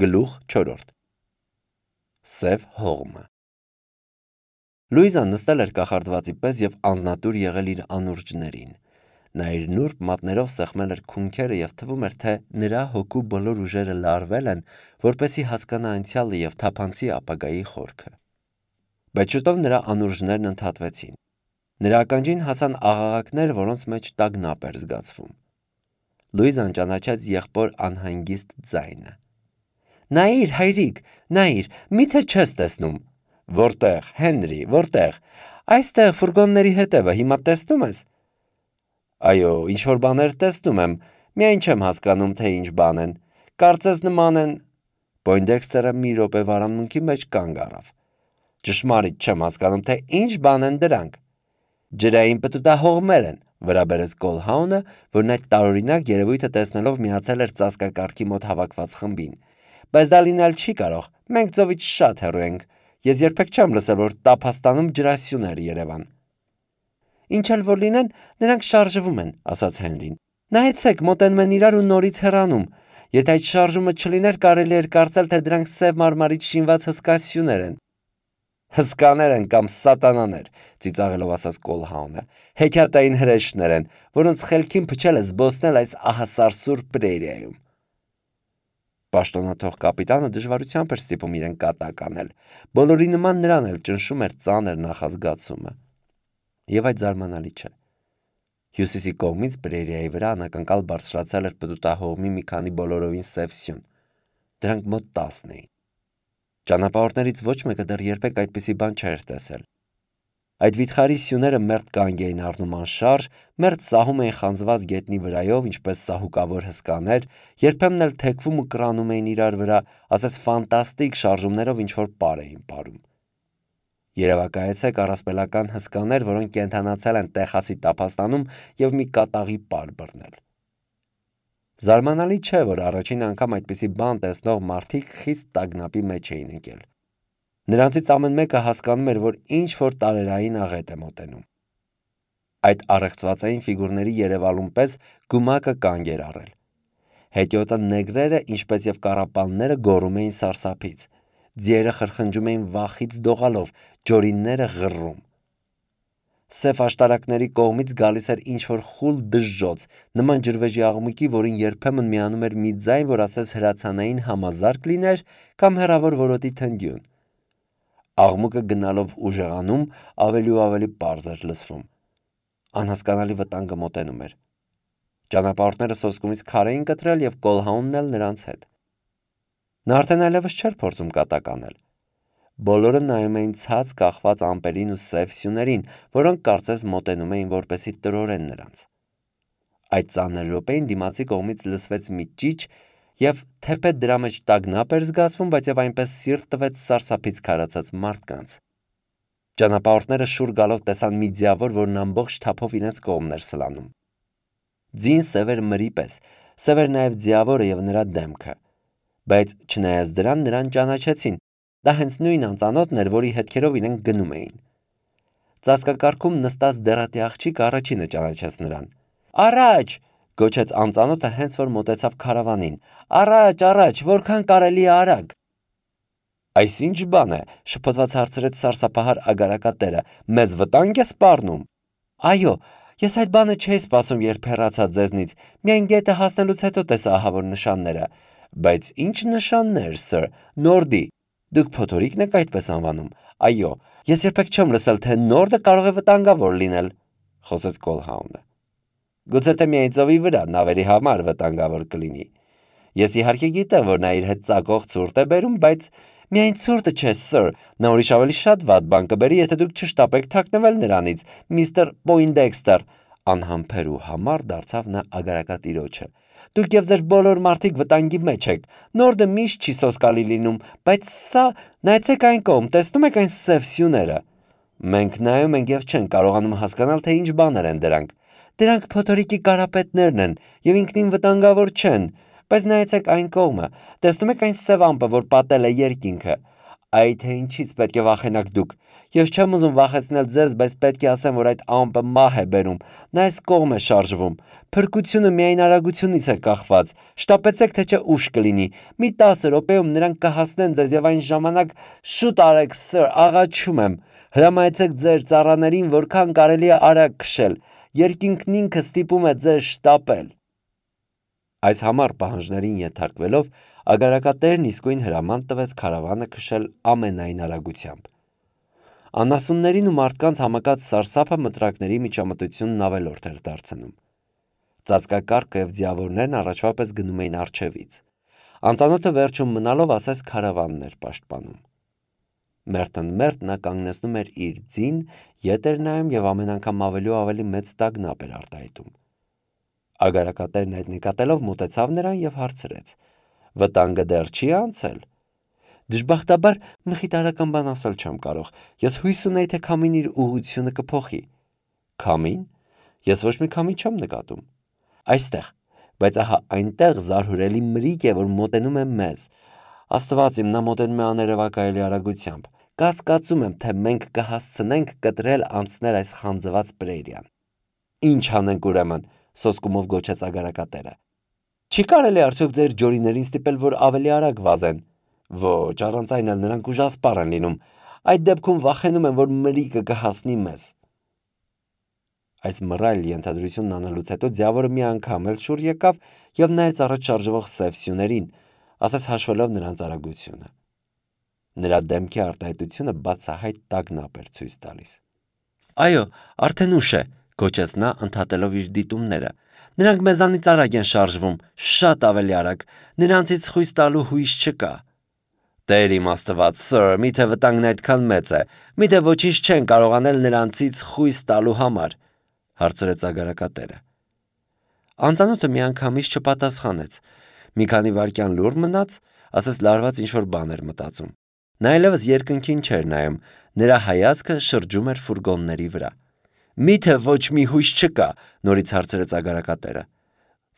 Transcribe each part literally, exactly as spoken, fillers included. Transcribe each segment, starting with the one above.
Գլուխ չորրորդ Սև հողմը Լուիզան նստել էր կախարդվածի պես և անձնատուր եղել իր անուրջներին: Նա իր նուրբ մատներով սեղմել էր քունքերը և թվում էր, թե նրա հոգու բոլոր ուժերը լարվել են, որպեսզի հասկանա անցյալը և թափանցի ապագայի խորքը: Բայց շուտով նրա անուրջներն ընդհատվեցին: Նրա ականջին հասան աղաղակներ, որոնց մեջ տագնապ էր զգացվում: Լուիզան ճանաչեց եղբոր անհանգիստ ձայնը: Նայիր, հայրիկ, նայիր, մի՞թե չես տեսնում: Որտե՞ղ, Հենրի, որտե՞ղ: Այստեղ, ֆուրգոնների հետևը, հիմա տեսնում ես: Այո, ինչ-որ բաներ տեսնում եմ, միայն չեմ հասկանում, թե ինչ բան են: Կարծես նման են… Պոյնդեքստերը մի րոպե վարամունքի մեջ կանգ առավ: Ճշմարիտ չեմ հասկանում, թե ինչ բան են դրանք: Ջրային պտուտահողմեր են, վրա բերեց Կոլհաունը, որն այդ տարօրինակ երևույթը տեսնելով միացել էր ծածկակարգի մոտ հավաքված խմբին: Բայց դա լինել չի կարող, մենք ծովից շատ հեռու ենք: Ես երբեք չեմ լսել, որ Տափաստանում ջրասյուներ երևան: Ինչ էլ որ լինեն, նրանք շարժվում են, ասաց Հենրին: Նայեցեք, մոտենում են իրար ու նորից հեռանում: Եթե այդ շարժումը չլիներ, կարելի էր կարծել, թե դրանք սև մարմարից շինված հսկա սյուներ են: Հսկաներ են կամ սատանաներ, ծիծաղելով ասաց Կոլհաունը: Հեքիաթային հրեշներ են, որոնց խելքին փչել է զբոսնել այս ահասարսուռ պրերիայում: Պաշտոնաթող կապիտանը դժվարությամբ էր ստիպում իրեն կատակ անել: Բոլորի նման նրան էլ ճնշում էր ծանր նախազգացումը: Եվ այդ զարմանալի չէ: Հյուսիսի կողմից պրերիայի վրա անակնկալ բարձրացել էր պտուտահողմի մի քանի բոլորովին սև սյուն: Դրանք մոտ տասն էին: Ճանապարհորդներից ոչ մեկը դեռ երբեք այդպիսի բան չէր տեսել: Այդ վիթխարի սյուները մերթ կանգ էին առնում անշարժ, մերթ սահում էին խանձված գետնի վրայով, ինչպես սահուկավոր հսկաներ, երբեմն էլ թեքվում ու կրանում էին իրար վրա, ասես ֆանտաստիկ շարժումներով ինչ-որ պար էին պարում: Երևակայեցեք առասպելական հսկաներ, որոնք կենդանացել են Տեխասի Տափաստանում և մի կատաղի պար բռնել: Զարմանալի չէ, որ առաջին անգամ այդպիսի բան տեսնող մարդիկ խիստ տագնապի մեջ էին ընկել: Նրանցից ամեն մեկը հասկանում էր, որ ինչ-որ տարերային աղետ է մոտենում: Այդ առեղծվածային ֆիգուրների երևալուն պես գումակը կանգ էր առել: Հետիոտը նեգրերը, ինչպես և կառապանները գոռում էին սարսափից: Ձիերը խրխնջում էին վախից դողալով, ջորինները ғռռում: Սև աշտարակների կողմից գալիս էր ինչ-որ խուլ դժժոց, նման ջրվեժի աղմուկի, որին երբեմն միանում էր մի ձայն, որ ասես հրացանային համազարկ լիներ կամ հեռավոր որոտի թնդյուն: Աղմուկը գնալով ուժեղանում, ավելի ու ավելի պարզ էր լսվում: Անհասկանալի վտանգը մոտենում էր: Ճանապարհորդները սոսկումից քար էին կտրել և Կոլհաունն էլ նրանց հետ: Նա արդեն այլևս չէր փորձում կատակ անել: Բոլորը նայում էին ցած կախված ամպերին ու սև սյուներին, որոնք կարծես մոտենում էին, որպեսզի տրորեն նրանց: Այդ ծանր րոպեին դիմացի կողմից լսվեց մի ճիչ և թեպետ դրա մեջ տագնապ էր զգացվում, բայց և այնպես սիրտ տվեց սարսափից քարացած մարդկանց: Ճանապարհորդները շուռ գալով տեսան մի ձիավոր, որն ամբողջ թափով իրենց կողմն էր սլանում: Ձին սև էր մրի պես, սև էր նաև ձիավորը և նրա դեմքը: Բայց չնայած դրան, նրան ճանաչեցին: Դա հենց նույն անծանոթն էր, որի հետքերով իրենք գնում էին: Ծածկակարգում նստած դեռատի աղջիկը առաջինը ճանաչեց նրան: Առա՛ջ, գոչեց անծանոթը հենց որ մոտեցավ քարավանին: Առա՛ջ, առա՛ջ, որքան կարելի է արագ: Այս ի՞նչ բան է, շփոթված հարցրեց սարսափահար ագարակատերը, մեզ վտա՞նգ է սպառնում: Այո, ես այդ բանը չէի սպասում, երբ հեռացա ձեզնից, միայն գետը հասնելուց հետո տեսա ահավոր նշանները: Բայց ի՞նչ նշաններ, սըր, նորդի: Դուք փոթորիկ եք այդպես անվանում: Այո, ես երբեք չեմ լսել, թե նորդը կարող է վտանգավոր լինել: Խոսեց Կոլհաունը: Գուցե թե միայն ծովի վրա նավերի համար վտանգավոր կլինի: Ես իհարկե գիտեմ, որ նա իր հետ ծակող ցուրտ է բերում, բայց… Միայն ցուրտը չէ, սըր, նա ուրիշ ավելի շատ վատ բան կբերի, եթե դուք չշտապեք թաքնվել նրանից, միստր Պոյնդեքստեր: Անհամբեր ու համառ դարձավ նա ագարակատիրոջը: Դուք և ձեր բոլոր մարդիկ վտանգի մեջ եք: Նորդը միշտ չի սոսկալի լինում, բայց սա… Նայեցեք այն կողմ, տեսնո՞ւմ եք այն սև սյուները: Մենք նայում ենք և չենք կարողանում հասկանալ, թե ինչ բաներ են դրանք: Դրանք փոթորիկի կարապետներն են և ինքնին վտանգավոր չեն: Բայց նայեցեք այն կողմը, տեսնո՞ւմ եք այն սև ամպը, որ պատել է երկինքը: Այ թե ինչից պետք է վախենաք դուք։ Ես չեմ ուզում վախեցնել ձեզ, բայց պետք է ասեմ, որ այդ ամպը մահ է բերում, նա այս կողմ է շարժվում։ Փրկությունը միայն արագությունից է կախված։ Շտապեցեք, թե չէ ուշ կլինի։ Մի տասը րոպեում նրանք կհասնեն ձեզ եւ այն ժամանակ շուտ արեք, սըր, աղաչում եմ։ Հրամայեցեք ձեր ծառաներին որքան կարելի է արագ քշել։ Երկինքն ինքը ստիպում է ձեզ շտապել։ Այս համառ պահանջներին ենթարկվելով ագարակատերն իսկույն հրաման տվեց քարավանը քշել ամենայն արագությամբ։ Անասուններին ու մարդկանց համակած սարսափը մտրակների միջամտությունն ավելորդ էր դարձնում։ Ծածկակառքը եւ ձիավորներն առաջվա պես գնում էին առջևից։ Անծանոթը վերջում մնալով ասես քարավանն էր պաշտպանում։ Մերթն մերթ նա կանգնեցնում էր իր ձին, ետ էր նայում եւ ամեն անգամ ավելի ու ավելի մեծ տագնապ էր արտահայտում։ Ագարակատերն այդ նկատելով մոտեցավ նրան եւ հարցրեց. «Վտանգը դեռ չի անցել»։ Դժբախտաբար մխիթարական բան ասել չեմ կարող։ Ես հույս ունեի, թե քամին իր ուղղությունը կփոխի։ Քամին։ Ես ոչ մի քամի չեմ նկատում։ Այստեղ, բայց ահա այնտեղ զարհուրելի մրիկ է, որ մոտենում է մեզ։ Աստված իմ, նա մոտենում է աներևակայելի արագությամբ։ Կասկածում եմ, թե մենք կհասցնենք կտրել անցնել այս խանձված պրերիան։ Ինչ անենք ուրեմն, սոսկումով գոչեց ագարակատերը։ Չի կարելի արդյոք ձեր ջորիներին ստիպել, որ ավելի արագ վազեն։ Ոչ, առանց այն էլ նրանք ուժասպառ են լինում։ Այդ դեպքում վախենում եմ, որ մրիկը կհասնի մեզ։ Այս մռայլ ենթադրությունն անելուց հետո ձիավորը մի անգամ էլ շուռ եկավ եւ նայեց առաջ շարժվող սև սյուներին, ասես հաշվելով նրանց արագությունը։ Նրա դեմքի արտահայտությունը բացահայտ տագնապ էր ցույց տալիս։ Այո, արդեն ուշ է, գոչեց նա, ընդհատելով իր դիտումները։ Նրանք մեզանից արագ են շարժվում, շատ ավելի արագ, նրանցից խույս տալու հույս չկա։ Տեր իմ Աստված, սըր, միթե վտանգն այդքան մեծ է, միթե ոչինչ չեն կարող անել նրանցից խույս տալու համար, հարցրեց ագարակատերը։ Անծանոթը միանգամից չպատասխանեց։ Մի քանի վայրկյան լուռ մնաց, ասես լարված ինչ-որ բան էր մտածում։ Նա այլևս երկնքին չէր նայում, նրա հայացքը շրջում էր ֆուրգոնների վրա։ Միթե ոչ մի հույս չկա, նորից հարցրեց ագարակատերը։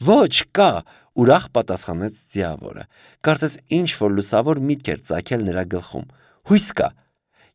Ոչ, կա, ուրախ պատասխանեց ձիավորը։ Կարծես ինչ-որ լուսավոր միտք էր ծագել նրա գլխում։ Հույս կա։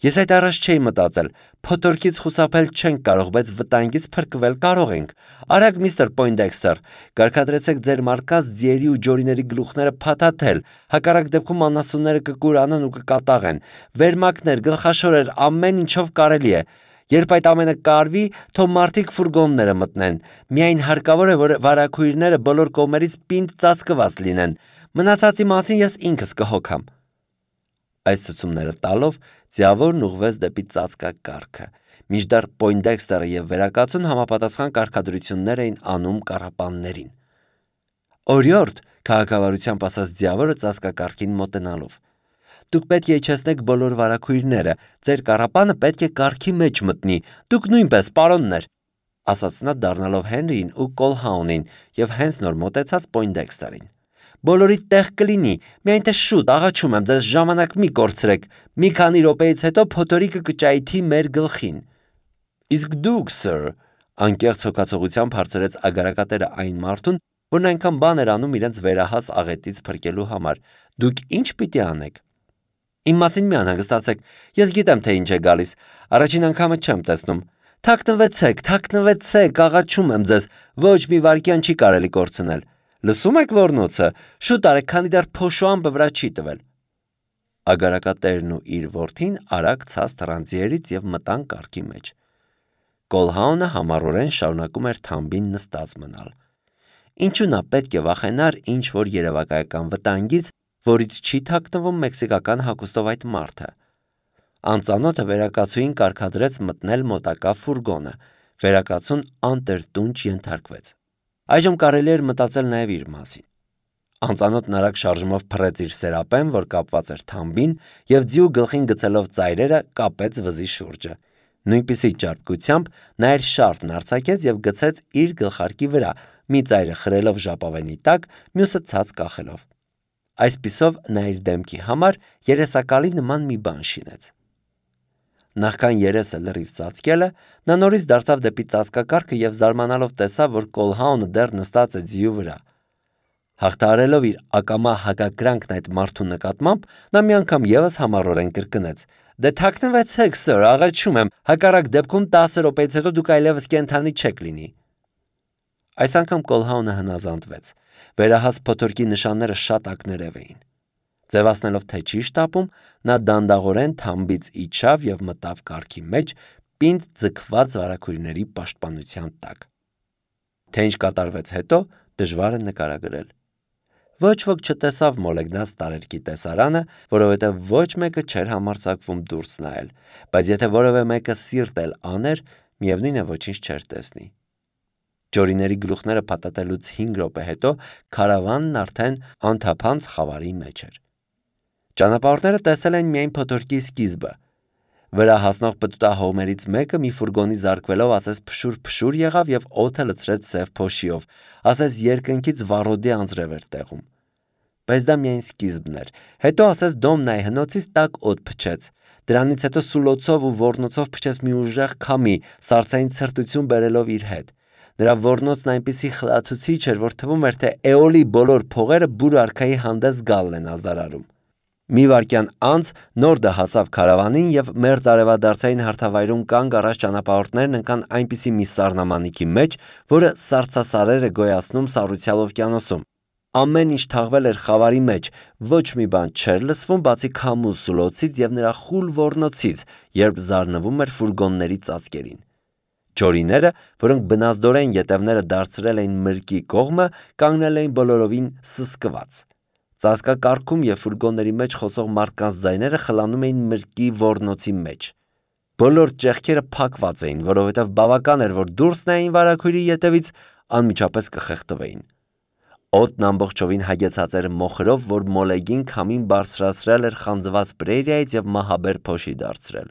Ես այդ առաջ չէի մտածել, փոթորկից խուսափել չենք կարող, բայց վտանգից փրկվել կարող ենք։ Արագ միստր Պոյնդեքստեր, կարգադրեցեք ձեր մարկած ձիերի ու ջորիների գլուխները փաթաթել, հակառակ դեպքում անասունները կկուրանան ու կկատաղեն։ Վերմակներ, գլխաշորեր, ամեն ինչով կարելի է։ Երբ այդ ամենը կարվի, թող մարդիկ ֆուրգոնները մտնեն։ Միայն հարկավոր է, որ վարակույրները բոլոր կողմերից պինդ ծածկված լինեն։ Մնացածի մասին ես ինքս կհոգամ։ Այս ցուցումները տալով ձիավորն ուղղվեց դեպի ծածկակառքը։ Մինչդեռ Պոյնդեքստերը եւ վերակացուն համապատասխան կարգադրություններ էին անում կառապաններին։ Օրիորդ, քաղաքավարությամբ ասաց ձիավորը ծածկակառքին մոտենալով։ Դուք պետք է իջեցնեք բոլոր վարակույրները, ձեր կառապանը պետք է կառքի մեջ մտնի, դուք նույնպես, պարոններ, ասաց նա դառնալով Հենրիին ու Կոլհաունին եւ հենց նոր մոտեցած Պոյնդեքստերին։ Բոլորիդ տեղ կլինի, միայն թե շուտ, աղաչում եմ ձեզ, ժամանակ մի կորցրեք, մի քանի րոպեից հետո փոթորիկը կճայթի մեր գլխին։ Իսկ դուք, սըր, անկեղծ հոգացողությամբ հարցրեց ագարակատերը այն մարդուն, որն այնքան բան էր անում իրենց վերահաս աղետից փրկելու համար, դուք ինչ պիտի անեք։ Իմ մասին մի անհանգստացեք, ես գիտեմ, թե ինչ է գալիս, առաջին անգամը չեմ տեսնում։ Թաքնվեցեք, թաքնվեցեք, աղաչում եմ ձեզ, ոչ մի վայրկյան չի կարելի կորցնել։ Լսում եք ոռնոցը, շուտ արեք, քանի դեռ փոշու ամպը վրա չի տվել։ Ագարակատերն ու իր որդին արագ ցած թռան ձիերից եւ մտան կառքի մեջ։ Կոլհաունը համառորեն շարունակում էր թամբին նստած մնալ։ Ինչու նա պետք է վախենար ինչ որ երևակայական վտանգից, որից չի թաքնվում մեքսիկական հագուստով այդ մարդը։ Անծանոթը վերակացուին կարգադրեց մտնել մոտակա ֆուրգոնը, վերակացուն անտրտունջ ենթարկվեց։ Այժմ կարելի էր մտածել նաև իր մասին։ Անծանոթն արագ շարժումով փռեց իր սերապեն, որ կապված էր թամբին, եւ ձիու գլխին գցելով ծայրերը կապեց վզի շուրջը։ Նույնպիսի ճարպկությամբ նա իր շարֆն արձակեց եւ գցեց իր գլխարկի վրա, մի ծայրը խրելով ժապավենի տակ, մյուսը ցած կախելով։ Այսպիսով նա իր դեմքի համար երեսակալի նման մի բան շինեց։ Նախքան երեսը լրիվ ծածկելը, նա նորից դարձավ դեպի ծածկակառքը եւ զարմանալով տեսավ, որ Կոլհաունը դեռ նստած է ձիու վրա։ Հաղթահարելով իր ակամա հակակրանքն այդ մարդու նկատմամբ, նա մի անգամ ևս համառորեն կրկնեց. «Դե թաքնվեցեք, սըր, աղաչում եմ, հակառակ դեպքում տասը րոպեից հետո դուք այլևս կենդանի չեք լինի»։ Այս անգամ Կոլհաունը հնազանդվեց։ Վերահաս փոթորկի նշանները շատ ակներև էին։ Ձևացնելով, թե չի շտապում, նա դանդաղորեն թամբից իջավ և մտավ կառքի մեջ, պինդ ձգված վարագույրների պաշտպանության տակ։ Թե ինչ կատարվեց հետո, դժվար է նկարագրել։ Ոչ ոք չտեսավ մոլեգնած տարերկի տեսարանը, որովհետև ոչ մեկը չէր համարձակվում դուրս նայել, բայց եթե որևէ մեկը սիրտ էլ աներ, միևնույն է ոչինչ չէր տեսնի։ Ջորիների գլուխները փաթաթելուց հինգ րոպե հետո քարավանն արդեն անթափանց խավարի մեջ էր։ Ճանապարհորդները տեսել էին միայն փոթորկի սկիզբը։ Վրա հասնող պտուտահողմերից մեկը մի ֆուրգոնի զարկվելով ասես փշուր-փշուր եղավ և օդը լցրեց սև փոշիով, ասես երկնքից վառոդի անձրև էր տեղում։ Բայց դա միայն սկիզբն էր։ Հետո ասես Դոմնայի հնոցից տաք օդ փչեց։ Դրանից հետո սուլոցով ու ոռնոցով փչեց մի ուժեղ քամի, սառցային ցրտություն բերելով իր հետ։ Նրա ոռնոցն այնպիսի խլացուցիչ էր, որ թվում էր, թե Էոլի բոլոր փողերը բուր արքայի հանդես գալն են ազդարարում։ Մի վայրկյան անց Նորդը հասավ քարավանին և մերձ արևադարձային հարթավայրում կանգ առած ճանապարհորդներն ընկան այնպիսի մի սառնամանիքի մեջ, որը սառցասարեր է գոյացնում Սառուցյալ օվկիանոսում։ Ամեն ինչ թաղվել էր խավարի մեջ, ոչ մի բան չէր լսվում, բացի քամու սուլոցից և նրա խուլ ոռնոցից, երբ զարնվում էր ֆուրգոնների ծածկերին։ Ջորիները, որոնք բնազդորեն ետևները դարձրել էին մրկի կողմը, կանգնել էին բոլորովին սսկված։ Ծածկակառքում և ֆուրգոնների մեջ խոսող մարդկանց ձայները խլանում էին մրկի ոռնոցի մեջ։ Բոլոր ճեղքերը փակված էին, որովհետև բավական էր, որ դուրս նայեին վարագույրի ետևից, անմիջապես կխեղդվեին։ Օդն ամբողջովին հագեցած էր մոխրով, որ մոլեգին քամին բարձրացրել էր խանձված պրերիայից և մահաբեր փոշի դարձրել։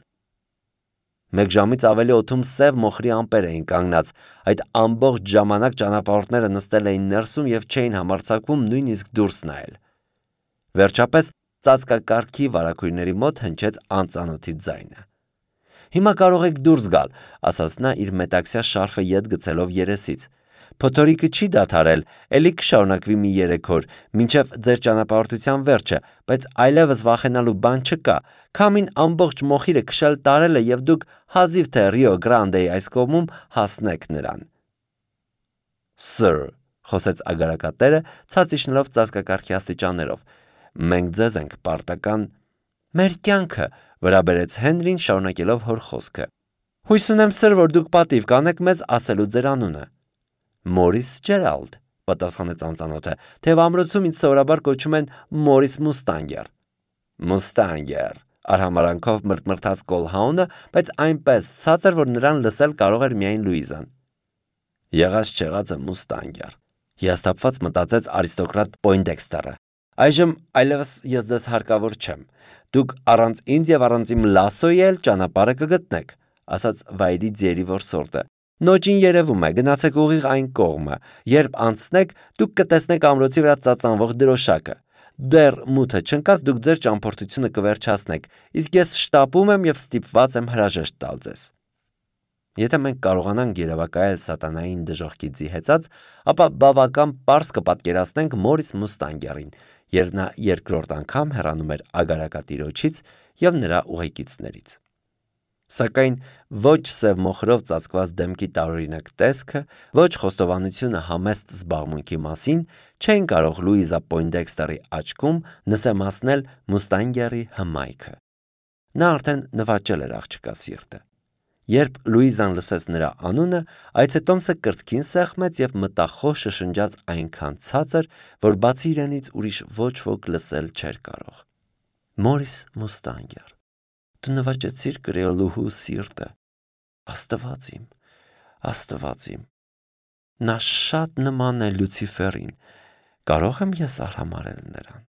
Մեկ ժամից ավելի օդում սև մոխրի ամպեր էին կանգնած, այդ ամբողջ ժամանակ ճանապարհորդները նստել էին ներսում և չէին համարձակվում նույնիսկ դուրս նայել։ Վերջապես ծածկակառքի վարագույրների մոտ հնչեց անծանոթի ձայնը։ «Հիմա կարող եք դուրս գալ», ասաց նա իր մետաքսյա շարֆը ետ գցելով երեսից։ «Փոթորիկը չի դադարել, էլի կշարունակվի մի երեք օր, մինչև ձեր ճանապարհորդության վերջը, բայց այլևս վախենալու բան չկա։ Քամին ամբողջ մոխիրը քշել տարել է և դուք հազիվ թե Ռիո Գրանդեի այս կողմում հասնեք նրան»։ «Սըր», խոսեց ագարակատերը, ցած իջնելով ծածկակառքի աստիճաններով, «մենք ձեզ ենք պարտական»։ «Մեր կյանքը», վրա բերեց Հենրին, շարունակելով հոր խոսքը։ «Հույս ունեմ, սըր, որ դուք պատիվ կանեք մեզ ասելու ձեր անունը»։ «Մորիս Ջերալդ», պատասխանեց անծանոթը, թեև ամրոցում ինձ սովորաբար կոչում են Մորիս Մուստանգեր։ «Մուստանգեր», արհամարանքով մրթմրթաց Կոլհաունը, բայց այնպես ցածր, որ նրան լսել կարող էր միայն Լուիզան։ «Եղած չեղածը Մուստանգեր», հիասթափված մտածեց արիստոկրատ Պոյնդեքստերը։ «Այժմ այլևս ես ձեզ հարկավոր չեմ։ Դուք առանց ինձ և առանց իմ լասոյի էլ ճանապարհը կգտնեք», ասաց վայրի ձիերի որսորդը։ «Նոճին երևում է, գնացեք ուղիղ այն կողմը։ Երբ անցնեք, դուք կտեսնեք ամրոցի վրա ծածանվող դրոշակը։ Դեռ մութը չընկած դուք ձեր ճամփորդությունը կվերջացնեք, իսկ ես շտապում եմ և ստիպված եմ հրաժեշտ տալ ձեզ»։ Եթե մենք կարողանանք երևակայել սատանային դժոխքի ձի հեծած, ապա բավական պարզ կպատկերացնենք Մորիս Մուստանգերին, երբ նա երկրորդ անգամ հեռանում էր ագարակատիրոջից և նրա ուղեկիցներից։ Սակայն ոչ սև մոխրով ծածկված դեմքի տարօրինակ տեսքը, ոչ խոստովանությունը համեստ զբաղմունքի մասին չէին կարող Լուիզա Պոյնդեքստերի աչքում նսեմացնել Մուստանգերի հմայքը։ Նա արդեն նվաճել էր աղջկա սիրտը։ Երբ Լուիզան լսեց նրա անունը, այցետոմսը կրծքին սեղմեց և մտախոհ շշնջաց այնքան ցածր, որ բացի իրենից ուրիշ ոչ ոք լսել չէր կարող։ «Մորիս Մուստանգեր, դու նվաճեցիր կրեոլուհու սիրտը։ Աստված իմ, Աստված իմ, նա շատ նման է Լյուցիֆերին, կարող եմ ես արհամարհել նրան»։